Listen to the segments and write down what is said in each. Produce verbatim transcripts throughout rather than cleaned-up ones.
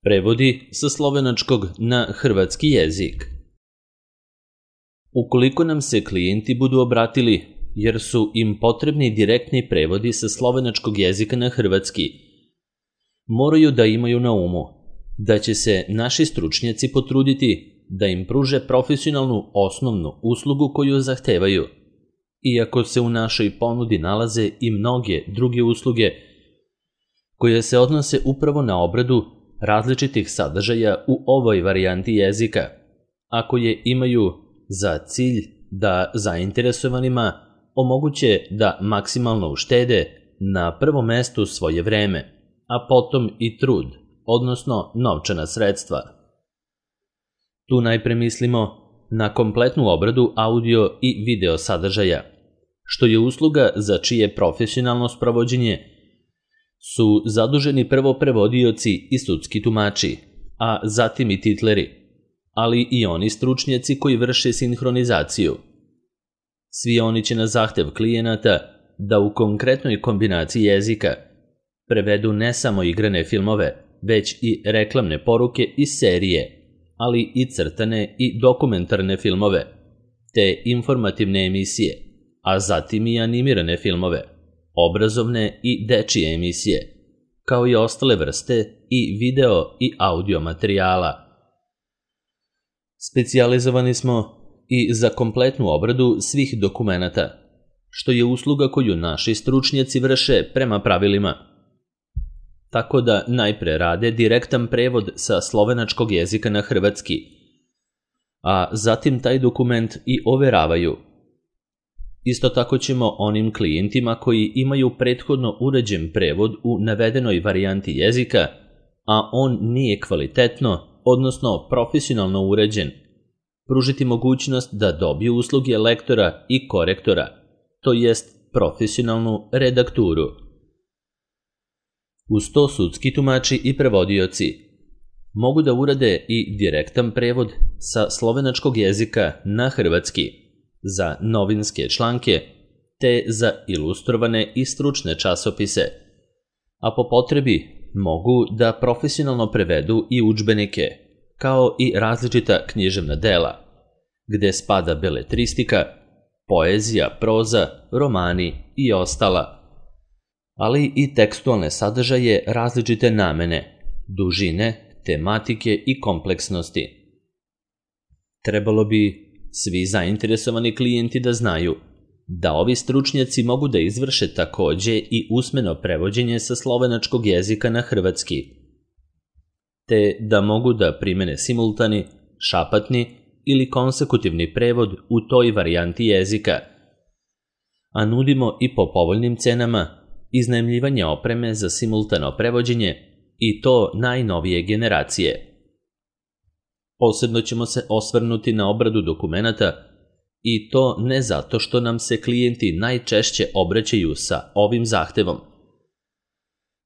Prevodi sa slovenačkog na hrvatski jezik. Ukoliko nam se klijenti budu obratili, jer su im potrebni direktni prevodi sa slovenačkog jezika na hrvatski, moraju da imaju na umu da će se naši stručnjaci potruditi da im pruže profesionalnu osnovnu uslugu koju zahtevaju, iako se u našoj ponudi nalaze i mnoge druge usluge koje se odnose upravo na obradu različitih sadržaja u ovoj varijanti jezika, a koje imaju za cilj da zainteresovanima omoguće da maksimalno uštede na prvom mestu svoje vreme, a potom i trud, odnosno novčana sredstva. Tu najpre mislimo na kompletnu obradu audio i video sadržaja, što je usluga za čije profesionalno sprovođenje su zaduženi prvo prevodioci i sudski tumači, a zatim i titleri, ali i oni stručnjaci koji vrše sinhronizaciju. Svi oni će na zahtev klijenata da u konkretnoj kombinaciji jezika prevedu ne samo igrane filmove, već i reklamne poruke i serije, ali i crtane i dokumentarne filmove, te informativne emisije, a zatim i animirane filmove, obrazovne i dečije emisije, kao i ostale vrste i video i audio materijala. Specijalizovani smo i za kompletnu obradu svih dokumenata, što je usluga koju naši stručnjaci vrše prema pravilima. Tako da najpre rade direktan prevod sa slovenačkog jezika na hrvatski, a zatim taj dokument i overavaju. Isto tako ćemo onim klijentima koji imaju prethodno uređen prevod u navedenoj varijanti jezika, a on nije kvalitetno, odnosno profesionalno uređen, pružiti mogućnost da dobiju usluge lektora i korektora, to jest profesionalnu redakturu. Uz to sudski tumači i prevodioci mogu da urade i direktan prevod sa slovenačkog jezika na hrvatski za novinske članke te za ilustrovane i stručne časopise, a po potrebi mogu da profesionalno prevedu i udžbenike, kao i različita književna dela, gde spada beletristika, poezija, proza, romani i ostala, ali i tekstualne sadržaje različite namene, dužine, tematike i kompleksnosti. Trebalo bi svi zainteresovani klijenti da znaju da ovi stručnjaci mogu da izvrše takođe i usmeno prevođenje sa slovenačkog jezika na hrvatski, te da mogu da primene simultani, šapatni ili konsekutivni prevod u toj varijanti jezika, a nudimo i po povoljnim cenama iznajmljivanje opreme za simultano prevođenje i to najnovije generacije. Posebno ćemo se osvrnuti na obradu dokumenata i to ne zato što nam se klijenti najčešće obraćaju sa ovim zahtevom,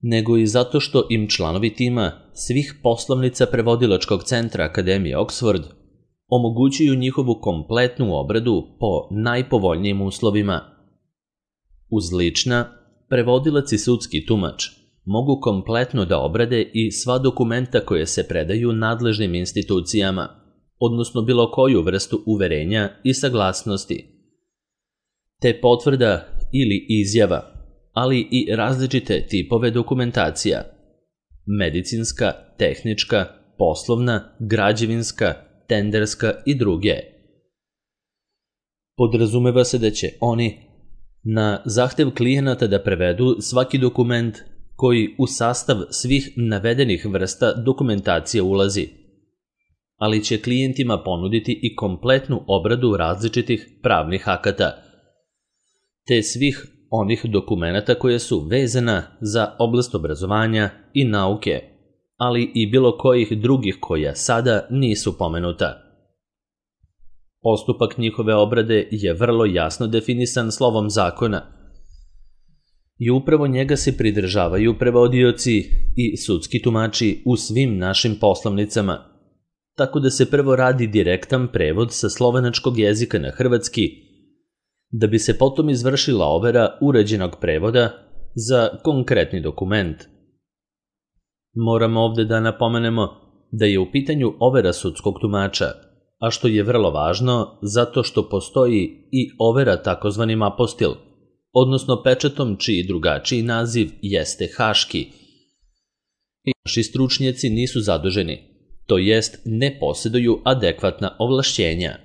nego i zato što im članovi tima svih poslovnica Prevodilačkog centra Akademije Oxford omogućuju njihovu kompletnu obradu po najpovoljnijim uslovima. Uz lična, prevodilac i sudski tumač mogu kompletno da obrade i sva dokumenta koje se predaju nadležnim institucijama, odnosno bilo koju vrstu uverenja i saglasnosti, te potvrda ili izjava, ali i različite tipove dokumentacija, medicinska, tehnička, poslovna, građevinska, tenderska i druge. Podrazumeva se da će oni na zahtev klijenata da prevedu svaki dokument koji u sastav svih navedenih vrsta dokumentacije ulazi, ali će klijentima ponuditi i kompletnu obradu različitih pravnih akata, te svih onih dokumenata koje su vezana za oblast obrazovanja i nauke, ali i bilo kojih drugih koja sada nisu pomenuta. Postupak njihove obrade je vrlo jasno definisan slovom zakona i upravo njega se pridržavaju prevodioci i sudski tumači u svim našim poslovnicama, tako da se prvo radi direktan prevod sa slovenačkog jezika na hrvatski, da bi se potom izvršila overa uređenog prevoda za konkretni dokument. Moramo ovde da napomenemo da je u pitanju overa sudskog tumača, a što je vrlo važno zato što postoji i overa takozvanim apostil, odnosno pečatom čiji drugačiji naziv jeste haški. I naši stručnjaci nisu zaduženi, to jest ne posjeduju adekvatna ovlašćenja.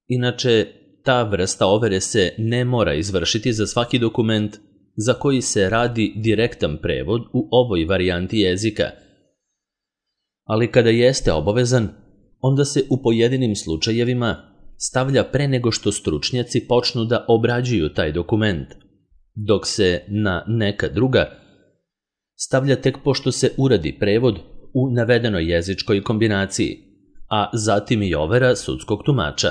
Inače, ta vrsta overe se ne mora izvršiti za svaki dokument za koji se radi direktan prevod u ovoj varijanti jezika. Ali kada jeste obavezan, onda se u pojedinim slučajevima stavlja pre nego što stručnjaci počnu da obrađuju taj dokument, dok se na neka druga stavlja tek pošto se uradi prevod u navedenoj jezičkoj kombinaciji, a zatim i overa sudskog tumača.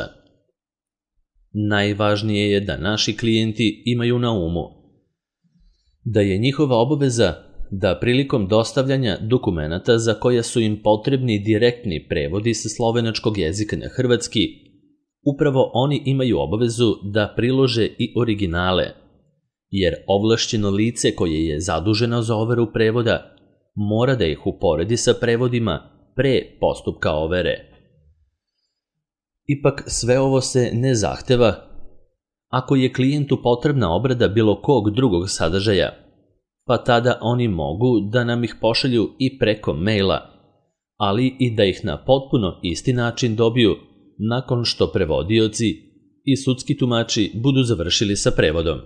Najvažnije je da naši klijenti imaju na umu da je njihova obaveza da prilikom dostavljanja dokumenata za koja su im potrebni direktni prevodi sa slovenačkog jezika na hrvatski, upravo oni imaju obavezu da prilože i originale, jer ovlašćeno lice koje je zaduženo za overu prevoda mora da ih uporedi sa prevodima pre postupka overe. Ipak sve ovo se ne zahteva ako je klijentu potrebna obrada bilo kog drugog sadržaja, pa tada oni mogu da nam ih pošalju i preko maila, ali i da ih na potpuno isti način dobiju nakon što prevodioci i sudski tumači budu završili sa prevodom.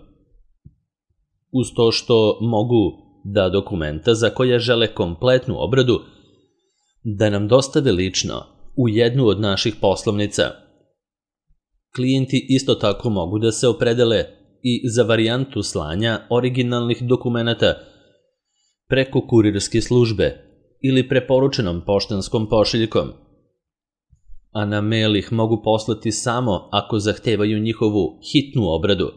Uz to što mogu da dokumenta za koja žele kompletnu obradu da nam dostave lično u jednu od naših poslovnica. Klijenti isto tako mogu da se opredele i za varijantu slanja originalnih dokumenata preko kurirske službe ili preporučenom poštanskom pošiljkom, a na mail ih mogu poslati samo ako zahtevaju njihovu hitnu obradu,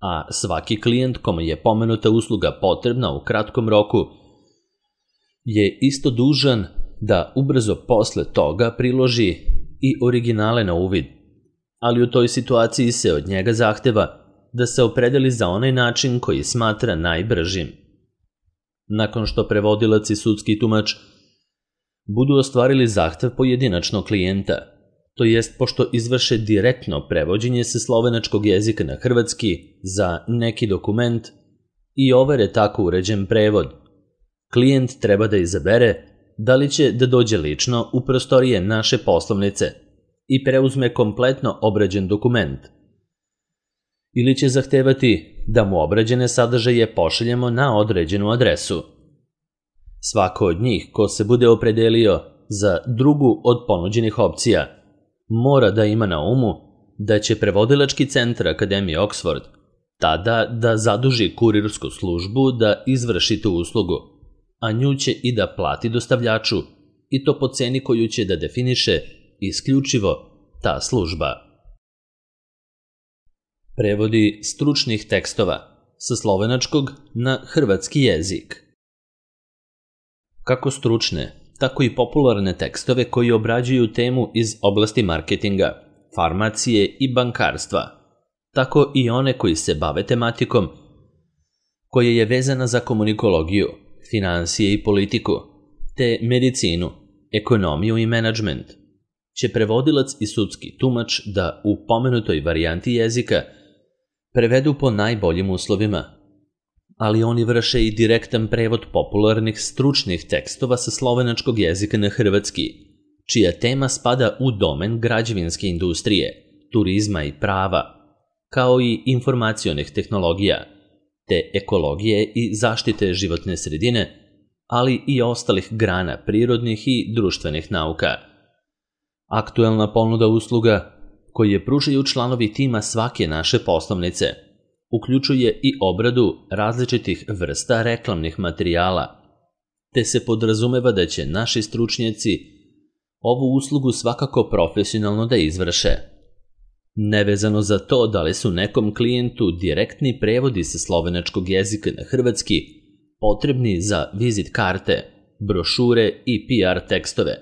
a svaki klijent kome je pomenuta usluga potrebna u kratkom roku je isto dužan da ubrzo posle toga priloži i originale na uvid, ali u toj situaciji se od njega zahteva da se opredeli za onaj način koji smatra najbržim. Nakon što prevodilac i sudski tumač budu ostvarili zahtev pojedinačnog klijenta, to jest pošto izvrše direktno prevođenje sa slovenačkog jezika na hrvatski za neki dokument i overe tako uređen prevod, klijent treba da izabere da li će da dođe lično u prostorije naše poslovnice i preuzme kompletno obrađen dokument, ili će zahtevati da mu obrađene sadržaje pošaljemo na određenu adresu. Svako od njih ko se bude opredelio za drugu od ponuđenih opcija mora da ima na umu da će prevodilački centar Akademije Oxford tada da zaduži kurirsku službu da izvrši tu uslugu, a nju će i da plati dostavljaču, i to po ceni koju će da definiše isključivo ta služba. Prevodi stručnih tekstova sa slovenačkog na hrvatski jezik. Kako stručne, tako i popularne tekstove koji obrađuju temu iz oblasti marketinga, farmacije i bankarstva, tako i one koji se bave tematikom koja je vezana za komunikologiju, finansije i politiku, te medicinu, ekonomiju i menadžment, će prevodilac i sudski tumač da u pomenutoj varijanti jezika prevedu po najboljim uslovima, ali oni vrše i direktan prevod popularnih stručnih tekstova sa slovenačkog jezika na hrvatski, čija tema spada u domen građevinske industrije, turizma i prava, kao i informacionih tehnologija, te ekologije i zaštite životne sredine, ali i ostalih grana prirodnih i društvenih nauka. Aktuelna ponuda usluga koje pružaju članovi tima svake naše poslovnice uključuje i obradu različitih vrsta reklamnih materijala, te se podrazumeva da će naši stručnjaci ovu uslugu svakako profesionalno da izvrše. Nevezano za to da li su nekom klijentu direktni prevodi sa slovenačkog jezika na hrvatski potrebni za vizit karte, brošure i P R tekstove,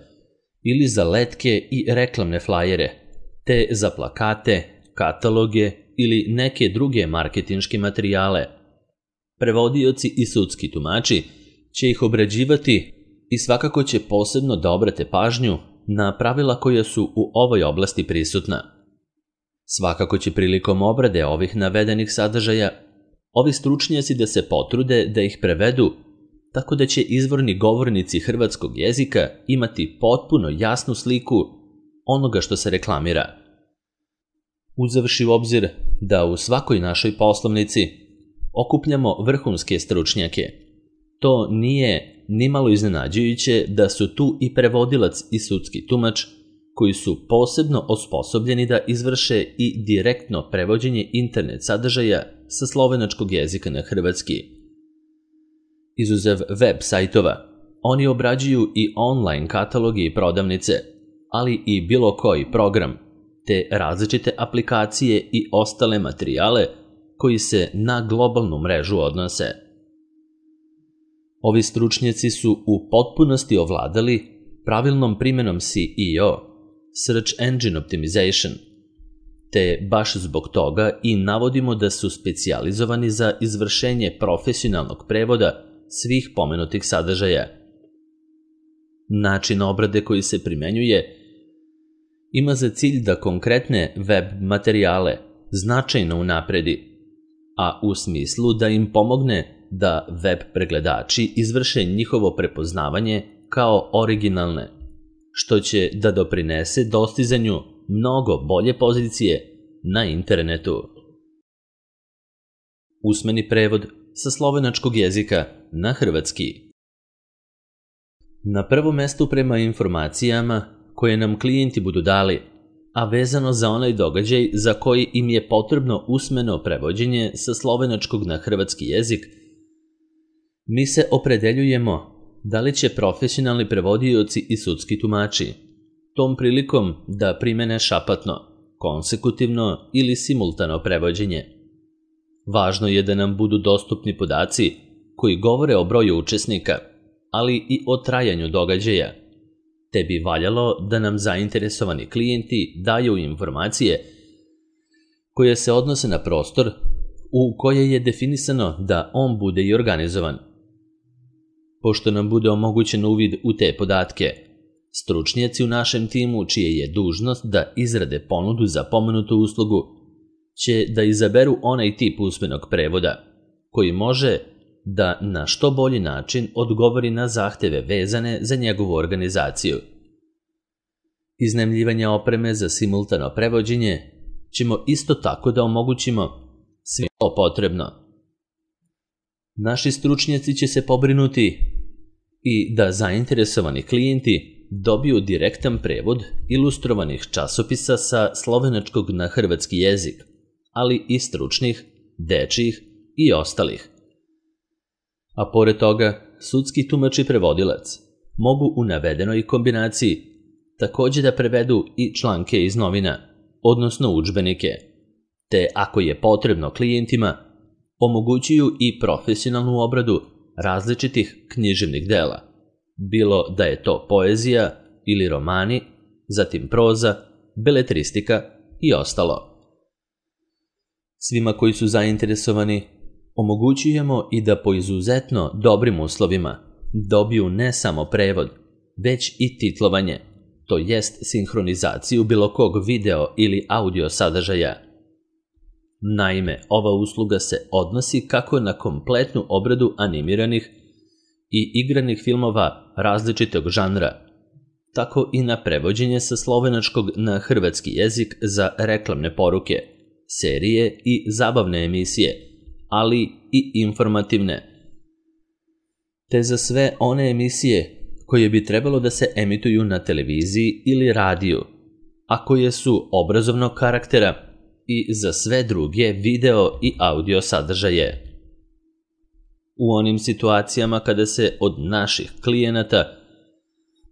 ili za letke i reklamne flajere, te za plakate, kataloge ili neke druge marketinške materijale. Prevodioci i sudski tumači će ih obrađivati i svakako će posebno da obrate pažnju na pravila koja su u ovoj oblasti prisutna. Svakako će prilikom obrade ovih navedenih sadržaja ovi stručnjaci da se potrude da ih prevedu tako da će izvorni govornici hrvatskog jezika imati potpuno jasnu sliku onoga što se reklamira. Uzevši u obzir da u svakoj našoj poslovnici okupljamo vrhunske stručnjake, to nije nimalo iznenađujuće da su tu i prevodilac i sudski tumač koji su posebno osposobljeni da izvrše i direktno prevođenje internet sadržaja sa slovenačkog jezika na hrvatski. Izuzev web sajtova, oni obrađuju i online kataloge i prodavnice, ali i bilo koji program, te različite aplikacije i ostale materijale koji se na globalnu mrežu odnose. Ovi stručnjaci su u potpunosti ovladali pravilnom primenom S E O, Search Engine Optimization, te baš zbog toga i navodimo da su specijalizovani za izvršenje profesionalnog prevoda svih pomenutih sadržaja. Način obrade koji se primenjuje ima za cilj da konkretne web materijale značajno unapredi, a u smislu da im pomogne da web pregledači izvrše njihovo prepoznavanje kao originalne, što će da doprinese dostizanju mnogo bolje pozicije na internetu. Usmeni prevod sa slovenačkog jezika na hrvatski. Na prvom mestu prema informacijama koje nam klijenti budu dali, a vezano za onaj događaj za koji im je potrebno usmeno prevođenje sa slovenačkog na hrvatski jezik, mi se opredeljujemo da li će profesionalni prevodioci i sudski tumači tom prilikom da primene šapatno, konsekutivno ili simultano prevođenje. Važno je da nam budu dostupni podaci koji govore o broju učesnika, ali i o trajanju događaja, te bi valjalo da nam zainteresovani klijenti daju informacije koje se odnose na prostor u koje je definisano da on bude i organizovan. Pošto nam bude omogućen uvid u te podatke, stručnjaci u našem timu, čije je dužnost da izrade ponudu za pomenutu uslugu, će da izaberu onaj tip usmenog prevoda koji može da na što bolji način odgovori na zahteve vezane za njegovu organizaciju. Iznajmljivanje opreme za simultano prevođenje ćemo isto tako da omogućimo svima to potrebno. Naši stručnjaci će se pobrinuti i da zainteresovani klijenti dobiju direktan prevod ilustrovanih časopisa sa slovenačkog na hrvatski jezik, ali i stručnih, dečjih i ostalih. A pored toga, sudski tumač i prevodilac mogu u navedenoj kombinaciji također da prevedu i članke iz novina, odnosno udžbenike, te ako je potrebno klijentima, omogućuju i profesionalnu obradu različitih književnih dela, bilo da je to poezija ili romani, zatim proza, beletristika i ostalo. Svima koji su zainteresovani omogućujemo i da po izuzetno dobrim uslovima dobiju ne samo prevod, već i titlovanje, to jest sinhronizaciju bilo kog video ili audio sadržaja. Naime, ova usluga se odnosi kako na kompletnu obradu animiranih i igranih filmova različitog žanra, tako i na prevođenje sa slovenačkog na hrvatski jezik za reklamne poruke, serije i zabavne emisije, ali i informativne, te za sve one emisije koje bi trebalo da se emituju na televiziji ili radiju, a koje su obrazovnog karaktera, i za sve druge video i audio sadržaje. U onim situacijama kada se od naših klijenata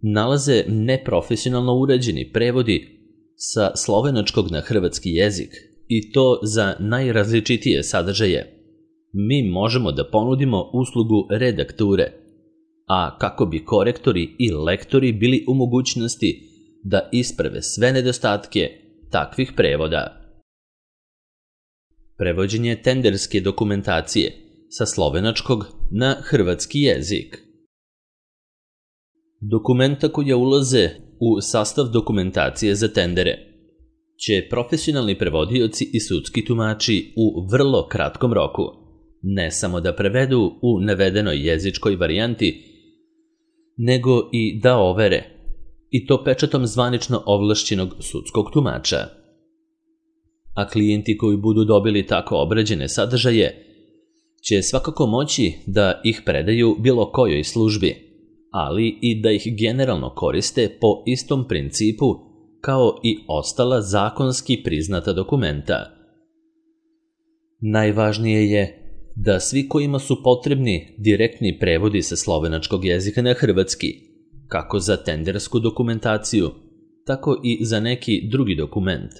nalaze neprofesionalno urađeni prevodi sa slovenačkog na hrvatski jezik, i to za najrazličitije sadržaje, mi možemo da ponudimo uslugu redakture, a kako bi korektori i lektori bili u mogućnosti da isprave sve nedostatke takvih prevoda. Prevođenje tenderske dokumentacije sa slovenačkog na hrvatski jezik. Dokumenta koja ulaze u sastav dokumentacije za tendere će profesionalni prevodioci i sudski tumači u vrlo kratkom roku ne samo da prevedu u navedenoj jezičkoj varijanti, nego i da overe, i to pečatom zvanično ovlašćenog sudskog tumača. A klijenti koji budu dobili tako obrađene sadržaje će svakako moći da ih predaju bilo kojoj službi, ali i da ih generalno koriste po istom principu kao i ostala zakonski priznata dokumenta. Najvažnije je da svi kojima su potrebni direktni prevodi sa slovenačkog jezika na hrvatski, kako za tendersku dokumentaciju, tako i za neki drugi dokument,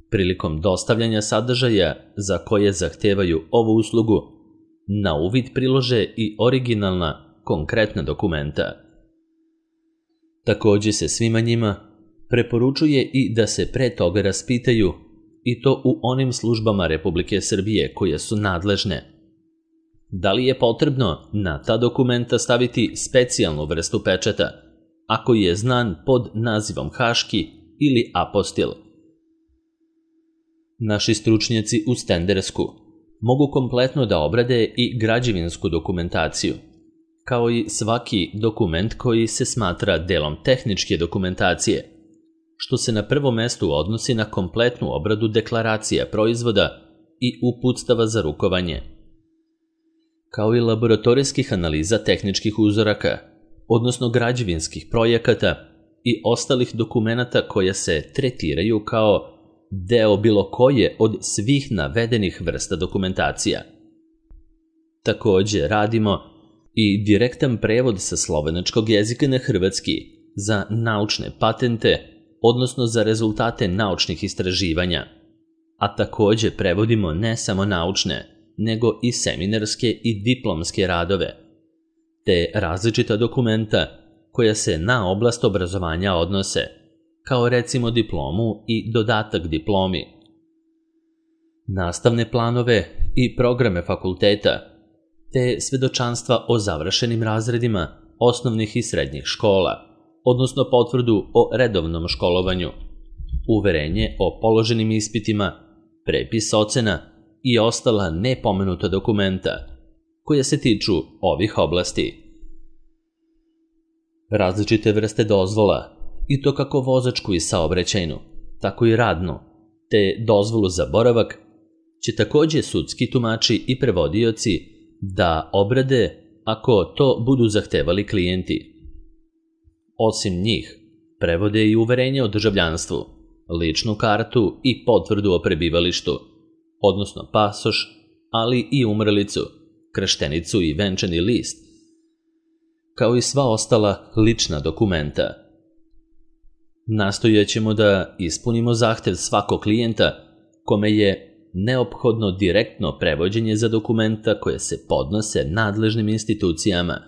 prilikom dostavljanja sadržaja za koje zahtevaju ovu uslugu, na uvid prilože i originalna, konkretna dokumenta. Takođe se svima njima preporučuje i da se pre toga raspitaju, i to u onim službama Republike Srbije koje su nadležne. Da li je potrebno na ta dokumenta staviti specijalnu vrstu pečata, ako je znan pod nazivom haški ili apostil? Naši stručnjaci u tendersku mogu kompletno da obrade i građevinsku dokumentaciju, kao i svaki dokument koji se smatra delom tehničke dokumentacije, što se na prvom mestu odnosi na kompletnu obradu deklaracija proizvoda i uputstava za rukovanje, kao i laboratorijskih analiza tehničkih uzoraka, odnosno građevinskih projekata i ostalih dokumenata koja se tretiraju kao deo bilo koje od svih navedenih vrsta dokumentacija. Takođe radimo i direktan prevod sa slovenačkog jezika na hrvatski za naučne patente, odnosno za rezultate naučnih istraživanja, a takođe prevodimo ne samo naučne, nego i seminarske i diplomske radove, te različita dokumenta koja se na oblast obrazovanja odnose, kao recimo diplomu i dodatak diplomi, nastavne planove i programe fakulteta, te svedočanstva o završenim razredima osnovnih i srednjih škola, odnosno potvrdu o redovnom školovanju, uverenje o položenim ispitima, prepis ocena i ostala nepomenuta dokumenta koja se tiču ovih oblasti. Različite vrste dozvola, i to kako vozačku i saobraćajnu, tako i radnu, te dozvolu za boravak, će takođe sudski tumači i prevodioci da obrade ako to budu zahtevali klijenti. Osim njih, prevode i uverenje o državljanstvu, ličnu kartu i potvrdu o prebivalištu, odnosno pasoš, ali i umrlicu, krštenicu i venčani list, kao i sva ostala lična dokumenta. Nastojaćemo da ispunimo zahtev svakog klijenta kome je neophodno direktno prevođenje za dokumenta koje se podnose nadležnim institucijama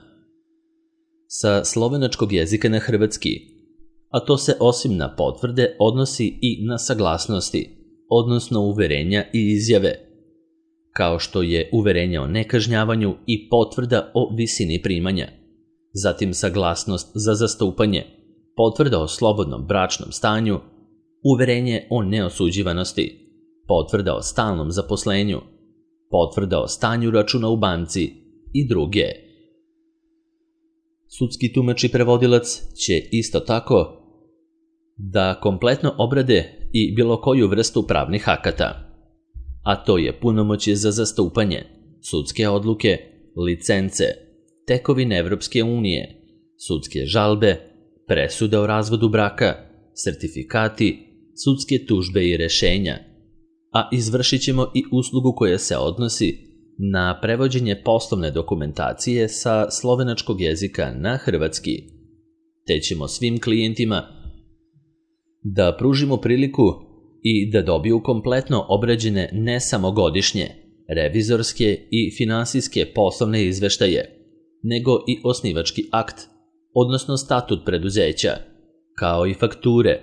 sa slovenačkog jezika na hrvatski, a to se osim na potvrde odnosi i na saglasnosti, odnosno uverenja i izjave, kao što je uverenje o nekažnjavanju i potvrda o visini primanja, zatim saglasnost za zastupanje, potvrda o slobodnom bračnom stanju, uverenje o neosuđivanosti, potvrda o stalnom zaposlenju, potvrda o stanju računa u banci i druge. Sudski tumač i prevodilac će isto tako da kompletno obrade i bilo koju vrstu pravnih akata, a to je punomoćje za zastupanje, sudske odluke, licence, tekovine Evropske unije, sudske žalbe, presude o razvodu braka, sertifikati, sudske tužbe i rešenja, a izvršit ćemo i uslugu koja se odnosi na prevođenje poslovne dokumentacije sa slovenačkog jezika na hrvatski, te ćemo svim klijentima da pružimo priliku i da dobiju kompletno obrađene ne samo godišnje, revizorske i finansijske poslovne izveštaje, nego i osnivački akt, odnosno statut preduzeća, kao i fakture,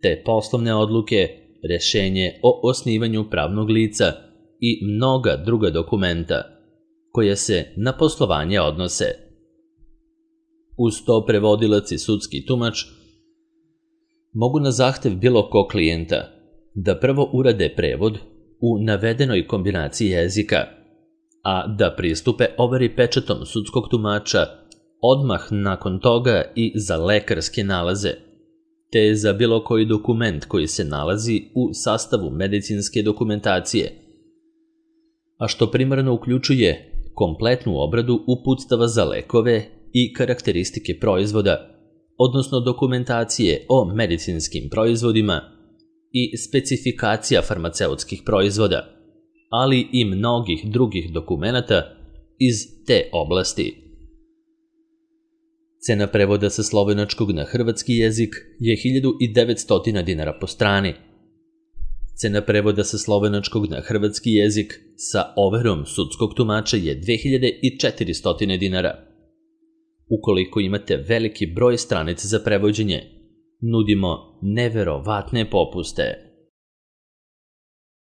te poslovne odluke, rešenje o osnivanju pravnog lica i mnoga druga dokumenta koje se na poslovanje odnose. Uz to prevodilac i sudski tumač mogu na zahtev bilo kog klijenta da prvo urade prevod u navedenoj kombinaciji jezika, a da pristupe overi pečatom sudskog tumača odmah nakon toga i za lekarske nalaze, te za bilo koji dokument koji se nalazi u sastavu medicinske dokumentacije, a što primarno uključuje kompletnu obradu uputstava za lekove i karakteristike proizvoda, odnosno dokumentacije o medicinskim proizvodima i specifikacija farmaceutskih proizvoda, ali i mnogih drugih dokumenata iz te oblasti. Cena prevoda sa slovenačkog na hrvatski jezik je hiljadu devetsto dinara po strani. Cena prevoda sa slovenačkog na hrvatski jezik sa overom sudskog tumača je dve hiljade četiristo dinara. Ukoliko imate veliki broj stranica za prevođenje, nudimo neverovatne popuste.